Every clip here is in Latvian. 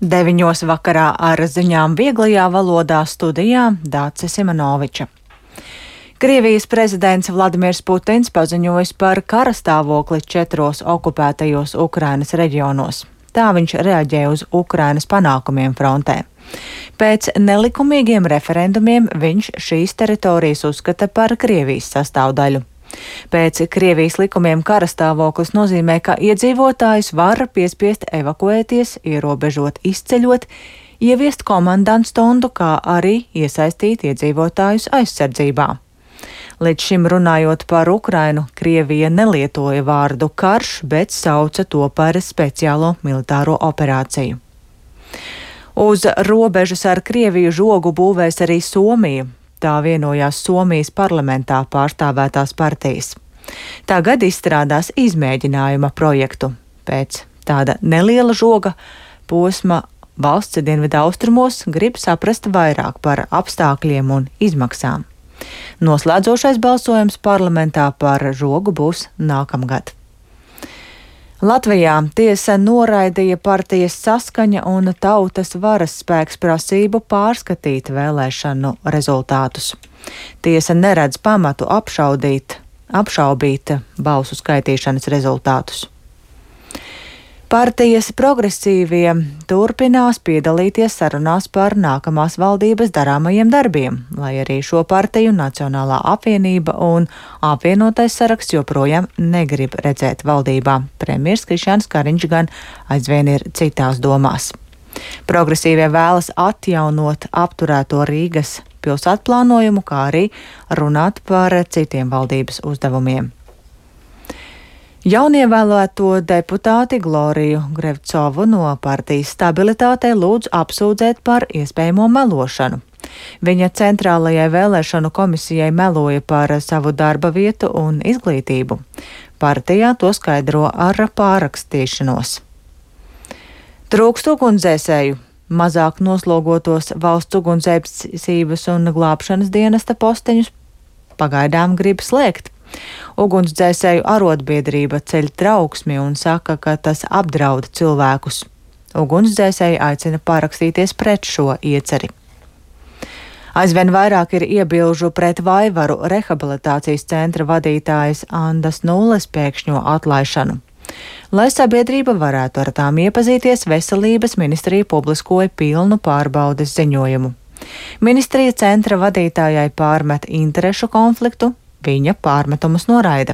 9 vakarā ar ziņām vieglajā valodā studijā Dāce Simanoviča. Krievijas prezidents Vladimirs Putins paziņojis par karastāvokli 4 okupētajos Ukrainas reģionos. Tā viņš reaģē uz Ukrainas panākumiem frontē. Pēc nelikumīgiem referendumiem viņš šīs teritorijas uzskata par Krievijas sastāvdaļu. Pēc Krievijas likumiem karastāvoklis nozīmē, ka iedzīvotājus var piespiest evakuēties, ierobežot izceļot, ieviest komandantstundu, kā arī iesaistīt iedzīvotājus aizsardzībā. Līdz šim runājot par Ukrainu, Krievija nelietoja vārdu karš, bet sauca to par speciālo militāro operāciju. Uz robežas ar Krieviju žogu būvēs arī Somija. Tā vienojās Somijas parlamentā pārstāvētās partijas. Tagad izstrādās izmēģinājuma projektu. Pēc tāda neliela žoga posma valsts dienvidaustrumos grib saprast vairāk par apstākļiem un izmaksām. Noslēdzošais balsojums parlamentā par žogu būs nākamgad. Latvijā tiesa noraidīja partijas Saskaņa un Tautas varas spēks prasību pārskatīt vēlēšanu rezultātus. Tiesa neredz pamatu apšaubīt balsu skaitīšanas rezultātus. Partijas Progresīvie turpinās piedalīties sarunās par nākamās valdības darāmajiem darbiem, lai arī šo partiju Nacionālā apvienība un apvienotais saraksts joprojām negrib redzēt valdībā. Premjers Krišjāns Kariņš gan aizvien ir citās domās. Progresīvie vēlas atjaunot apturēto Rīgas pilsētplānojumu, kā arī runāt par citiem valdības uzdevumiem. Jaunievēlēto deputāti Gloriju Grevcovu no partijas Stabilitātei lūdz apsūdzēt par iespējamo melošanu. Viņa centrālajai vēlēšanu komisijai meloja par savu darba vietu un izglītību. Partijā to skaidro ar pārrakstīšanos. Trūkst ugunsdzēsēju. Mazāk noslogotos valsts ugunsdzēsības un glābšanas dienesta posteņus pagaidām grib slēgt. Ugunsdzēsēju arotbiedrība ceļ trauksmi un saka, ka tas apdraud cilvēkus. Ugunsdzēsēji aicina parakstīties pret šo ieceri. Aizvien vairāk ir iebilžu pret Vaivaru rehabilitācijas centra vadītājas Andas Nulles pēkšņo atlaišanu. Lai sabiedrība varētu ar tām iepazīties, Veselības ministrija publiskoja pilnu pārbaudes ziņojumu. Ministrija centra vadītājai pārmet interešu konfliktu. Viņa pārmetumus noraida.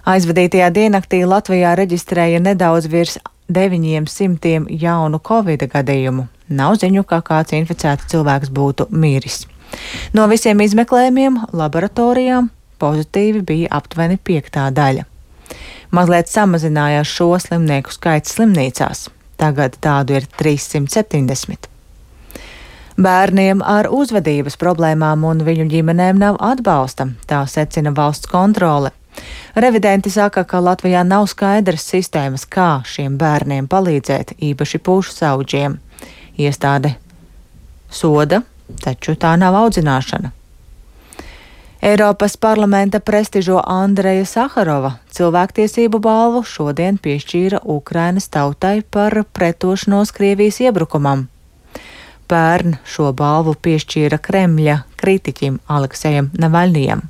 Aizvadītajā diennaktī Latvijā reģistrēja nedaudz virs 900 jaunu Covid gadījumu. Nav ziņu, ka kāds inficēts cilvēks būtu miris. No visiem izmeklējumiem laboratorijām pozitīvi bija aptuveni 1/5. Mazliet samazinājās šo slimnieku skaits slimnīcās. Tagad tādu ir 370. Bērniem ar uzvedības problēmām un viņu ģimenēm nav atbalsta, tā secina valsts kontrole. Revidenti saka, ka Latvijā nav skaidras sistēmas, kā šiem bērniem palīdzēt, īpaši pušsaudžiem. Iestāde soda, taču tā nav audzināšana. Eiropas parlamenta prestižo Andreja Saharova cilvēktiesību balvu šodien piešķīra Ukrainas tautai par pretošanos Krievijas iebrukumam. Pērn šo balvu piešķīra Kremļa kritiķim Aleksejam Navaļnijam.